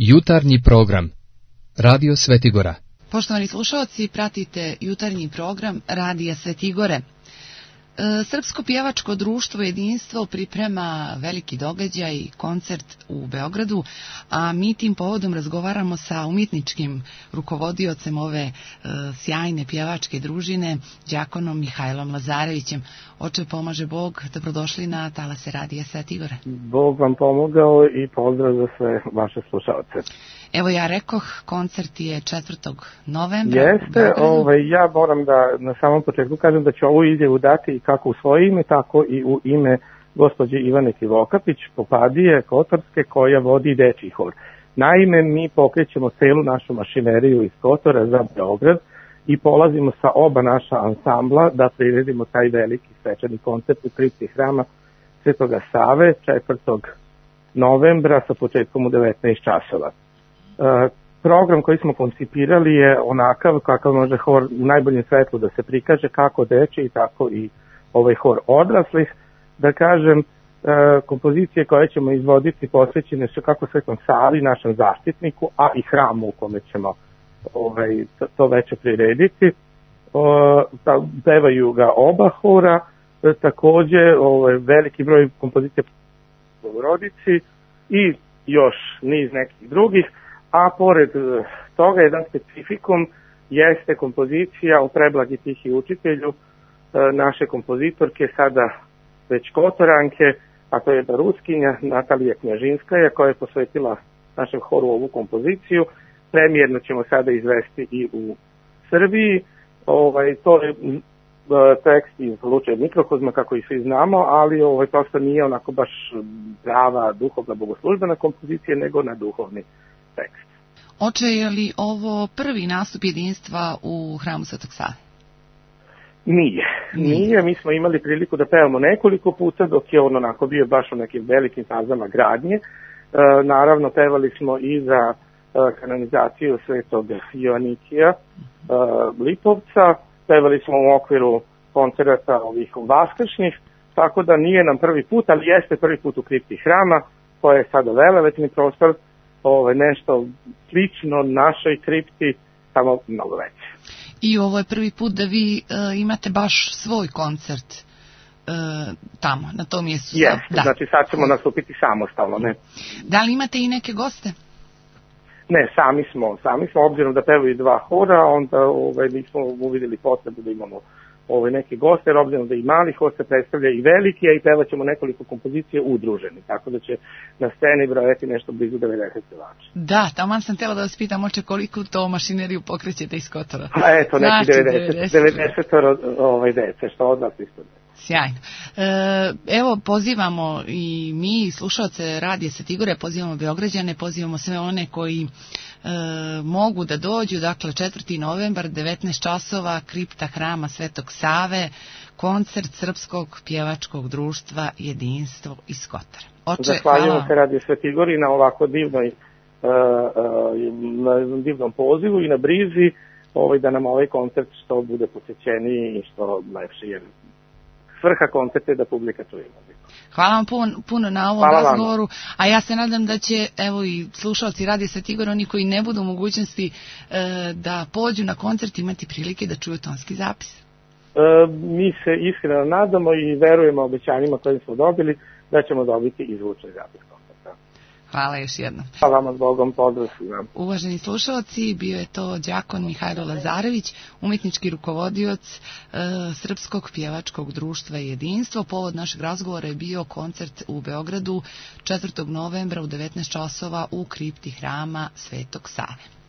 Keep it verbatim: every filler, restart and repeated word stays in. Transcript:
Jutarnji program Radio Svetigora. Poštovani slušalci, pratite jutarnji program Radija Svetigore. Srpsko pjevačko društvo Jedinstvo priprema veliki događaj, koncert u Beogradu, a mi tim povodom razgovaramo sa umjetničkim rukovodiocem ove e, sjajne pjevačke družine, đakonom Mihajlom Lazarevićem. Oče pomaže Bog, dobrodošli na talase Radija Svetigore. Bog vam pomogao i pozdrav za sve vaše slušalce. Evo ja rekoh, koncert je četvrtog novembra. Jeste, ovaj, ja moram da na samom početku kažem da ću ovu izjavu dati kako u svoje ime, tako i u ime gospođe Ivane Krivokapić, popadije Kotorske, koja vodi dečji hor. Naime, mi pokrećemo celu našu mašineriju iz Kotora za Beograd i polazimo sa oba naša ansambla da priredimo taj veliki svečani koncert u kripti hrama Svetoga Save četvrtog novembra sa početkom u devetnaest časova. Uh, program koji smo koncipirali je onakav kakav može hor u najboljem svetlu da se prikaže, kako dečji, tako i ovaj hor odraslih. Da kažem, uh, kompozicije koje ćemo izvoditi posvećene su kako Svetom Savi, našem zaštitniku, a i hramu u kome ćemo ovaj, to, to veče prirediti. Uh, pevaju ga oba hora, uh, takođe ovaj, veliki broj kompozicija u Bogorodici i još niz nekih drugih. A pored toga, jedan specifikum jeste kompozicija o Preblagi tihi učitelju naše kompozitorke, sada već Kotoranke, a to je jedna Ruskinja, Natalija Knjažinskaja, koja je posvetila našem horu ovu kompoziciju. Premijerno ćemo sada izvesti i u Srbiji. Ovaj, to je tekst iz Lučeg mikrokozma, kako i svi znamo, ali ovaj, prosto nije onako baš prava duhovna bogoslužbena kompozicija, nego na duhovni tekst. Oče, je li ovo prvi nastup Jedinstva u hramu Svetog Save? Nije. Nije. Mi smo imali priliku da pevamo nekoliko puta dok je on onako bio baš u nekim velikim fazama gradnje. E, naravno, pevali smo i za e, kanonizaciju Svetog Joanikija e, Lipovca. Pevali smo u okviru koncerata ovih vaskršnjih, tako da nije nam prvi put, ali jeste prvi put u kripti hrama, koja je sada velevetni prostor, Ovo, nešto slično našoj kripti, samo mnogo veće. I ovo je prvi put da vi e, imate baš svoj koncert e, tamo, na tom mjestu. Jeste, da. Znači sad ćemo nastupiti samostalno, ne? Da li imate i neke goste? Ne, sami smo, sami smo, obzirom da pevaju dva hora, onda ovaj, nismo uvidjeli potrebu da imamo ovaj, neke goste, jer obzirom da i mali hor se predstavlja i veliki, a i pevat ćemo nekoliko kompozicije udruženi, tako da će na sceni brojati nešto blizu devedeset pevača. Da, tamo sam htjela da vas pitam, oče, koliko to mašineriju pokrećete iz Kotora? Pa eto, neki znači, devedeset, devedeset ovaj, dece, što od vas isto. Sjajno. E, evo, pozivamo i mi, slušalce Radija Svetigore, pozivamo Beograđane, pozivamo sve one koji e, mogu da dođu, dakle četvrti novembar, devetnaest časova, kripta hrama Svetog Save, koncert Srpskog pjevačkog društva Jedinstvo iz Kotora. Oče, zahvaljujemo se Radiju Svetigori na ovako divnoj, e, e, na divnom pozivu i na brizi ovaj, da nam ovaj koncert što bude posjećeniji i što lepši, jer svrha koncerta je da publika čuje muziku. Hvala vam puno, puno na ovom Hvala razgovoru, vam. A ja se nadam da će, evo i slušalci Radija Svetigora, oni koji ne budu u mogućnosti e, da pođu na koncert, imati prilike da čuju tonski zapis. E, mi se iskreno nadamo i verujemo obećanjima koje smo dobili da ćemo dobiti i zvučni zapis koncerta. Hvala još jednom. Hvala vam s Bogom, pozdrav svima. Uvaženi slušalci, bio je to đakon Mihajlo Lazarević, umjetnički rukovodioc e, Srpskog pjevačkog društva Jedinstvo. Povod našeg razgovora je bio koncert u Beogradu četvrtog novembra u devetnaest časova u kripti hrama Svetog Save.